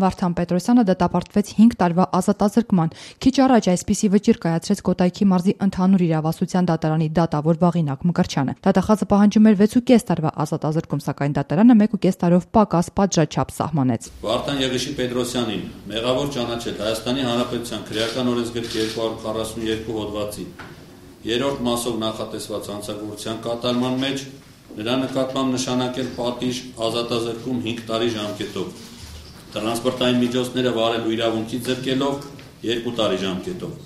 Վարդան Պետրոսյանը դատապարտվեց 5 տարվա ազատազրկման։ Քիչ առաջ այսպիսի վճիռ կայացրեց Կոտայքի մարզի ընդհանուր իրավասության դատարանի դատավոր Վաղինակ Մկրտչյանը։ Դատախազը պահանջում էր 6.5 տարվա ազատազրկում, սակայն դատարանը 1.5 տարով պակաս պատժաչափ սահմանեց։ Վարդան Եղիշի Պետրոսյանին մեղավոր ճանաչել Հայաստանի Հանրապետության քրեական օրենսգրքի 242 հոդվածի 3-րդ մասով նախատեսված հանցագործության կատարման մեջ նրա նկատմամբ նշանակել պատիժ ազատազրկում 5 տարի ժամկետով, տրանսպորտային միջոցները վարելու իրավունքից զրկելով 2 տարի ժամկետով։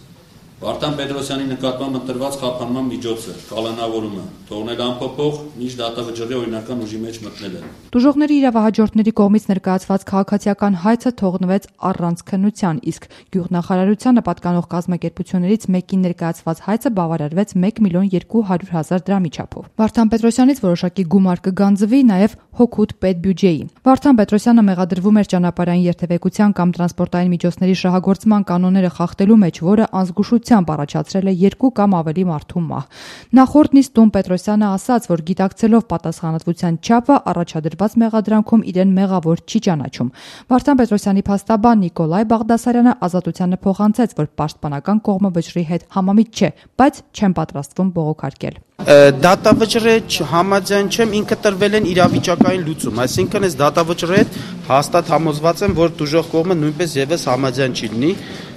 Վարդան Պետրոսյանի նկատմամբ ընտրված խափանման միջոցը, կալանավորումը, թողնել անփոփոխ, մինչ դատավճռի օրինական ուժի մեջ մտնելը։ Տուժողների իրավահաջորդների կողմից ներկայացված քաղաքացիական հայցը թողնվեց առանց քննության, իսկ գյուղնախարարությանը պատկանող կազմակերպություններից մեկին ներկայացված հայցը բավարարվեց 1.200.000 դրամի չափով։ Վարդան Պետրոսյանից որոշակի գումար կգանձվի նաև հօգուտ պետբյուջեի։ Վարդան Պետրոսյանը մեղադրվում էր ճանապարհային երթևեկության կամ տրանսպորտային միջոցների շահագործման կանոնները խախտելու մեջ, որը անզգուշությամբ առաջացրել է 2 կամ ավելի մարդու մահ։ Նախորդ նիստում Պետրոսյանը ասաց, որ գիտակցելով պատասխանատվության չափը առաջադրված մեղադրանքում իրեն մեղավոր չի ճանաչում։ Վարդան Պետրոսյանի փաստաբան Նիկոլայ Բաղդասարյանը ազատությանը փոխանցեց, որ պաշտպանական կողմը վճռի հետ համամիտ չէ, բայց չեն պատրաստվում բողոքարկել։ Դատավճռի համաձայն չեմ, ինքը տրվել են իրավիճակային լուծում, այսինքն այս դատավճռի հետ հաստատ համոզված եմ, որ տուժող կողմը նույնպես եւս համաձայն չի լինի,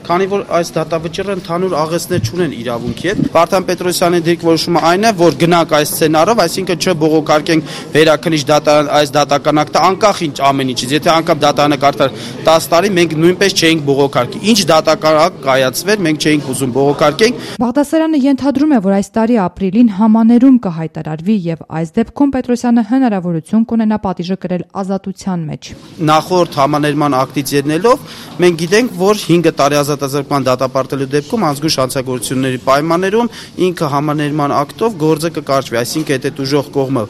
քանի որ այս դատավճռը ընդհանուր աղեցներ չունեն իրավունքի հետ։ Վարդան Պետրոսյանի դիրքորոշումը այն է, որ գնանք այս սցենարով, այսինքն չբողոքարկենք վերաքննիչ դատարան այս դատական ակտը անկախ ինչ ամեն ինչից։ Եթե անգամ դատարանը կարդար 10 տարի, մենք նույնպես չէինք բողոքարկի։ Ինչ դատական ակտ կայացվեր, մենք չէինք ուզում բողոքարկենք։ Բաղդասարյանը ենթադրում է, որ այս տարի ապրիլին համաներում կհայտարարվի եւ այս դեպքում Պետրոսյանը հնարավորություն կունենա պատիժը կրել ազատության մեջ։ Նախորդ համաներման ակտից ելնելով մենք գիտենք, որ 5 տարի ազատազրկման դատապարտելու դեպքում անզգույշ հանցագործությունների պայմաններում ինքը համաներման ակտով գործը կկարճվի, այսինքն եթե տուժող կողմը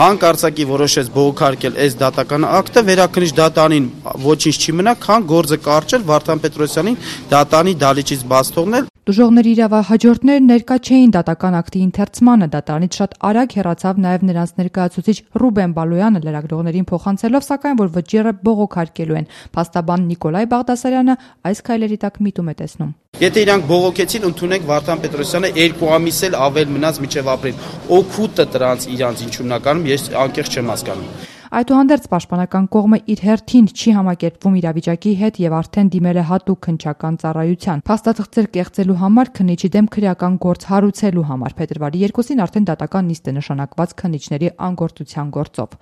հանկարծակի որոշեց բողոքարկել այս դատական ակտը, վերաքննիչ դատարանին ոչինչ չի մնա, քան գործը կարճել, Վարդան Պետրոսյանին դատարանի դալիճից բաց թողնել։ Տուժողների իրավահաջորդները ներկա չէին դատական ակտի ընթերցմանը, դատարանից շատ արագ հեռացավ նաև նրանց ներկայացուցիչ Ռուբեն Բալոյանը լրագրողներին փոխանցելով, սակայն որ վճիռը բողոքարկելու են։ Փաստաբան Նիկոլայ Բաղդասարյանը այս քայլերի տակ միտում է տեսնում։ Եթե իրանք բողոքեցին, ընդունենք Վարդան Պետրոսյանը 2 ամիս էլ ավել մնաց մինչև ապրիլ։ Օգուտը դրանց իրանց ինչ ուննականում ես անկեղծ չեմ հասկանում։ Այդուհանդերձ պաշտպանական կողմը իր հերթին չի համակերպվում իրավիճակի հետ եւ արդեն դիմել է հատուկ քննչական ծառայության։ Փաստաթղթեր կեղծելու համար քննիչի դեմ քրեական գործ հարուցելու համար փետրվարի 2-ին արդեն դատական նիստ է նշանակված քննիչների անգործության գործով։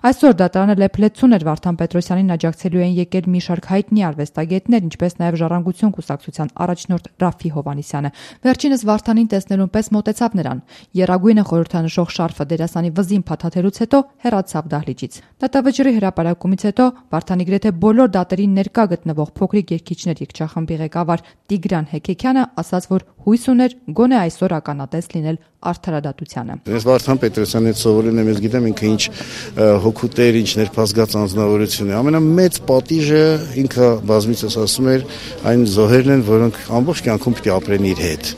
Այսօր դատարանը լեփլեցուն էր Վարդան Պետրոսյանին աջակցելու են եկել մի շարք հայտնի արվեստագետներ, ինչպես նաեւ Ժառանգություն կուսակցության առաջնորդ Ռաֆի Հովհաննիսյանը։ Վերջինս Վարդանին տեսնելուն պես մոտեցավ նրան։ Եռագույնը խորհրդանշող շարֆը դերասանի վզին փաթաթելուց հետո հեռացավ դահլիճից։ Դատավճռի հրապարակումից հետո Վարդանի գրեթե բոլոր դատերին ներկա գտնվող փոքրիկ երգիչներ երգչախմբի ղեկավար Տիգրան Հեքեքյանը ասաց, որ հույս ուներ գոնե այսօր ականատես լինել արդարադատությանը։ Ես Վարդան Պետրոսյանի հետ սովորել եմ, ես գիտեմ ինքը ինչ հոգուտ էր, ինչ ներփազգած անձնավորություն է։ Ամենամեծ պատիժը ինքը բազմիցս ասում էր, այն զոհերն են, որոնք ամբողջ կյանքում պիտի ապրեն իր հետ։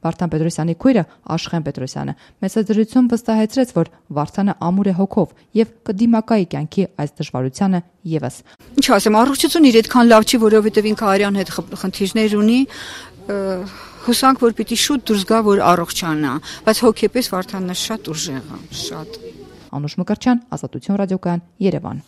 Վարդան Պետրոսյանի քույրը Աշխեն Պետրոսյանը մեծադրություն վստահեցրեց, որ Վարդանը ամուր է հոգով եւ կդիմակայի կյանքի այս դժվարությանը եւս։ Ինչ ասեմ, առողջություն իր այդքան լավ չի, որովհետեւ ինքը արյան հետ խնդիրներ ունի, հուսանք որ պիտի շուտ դուրս գա, որ առողջանա, բայց հոգեպես Վարդանը շատ ուժեղ է, շատ։ Անուշ Մկրտչյան, Ազատություն ռադիոկայան, Երևան։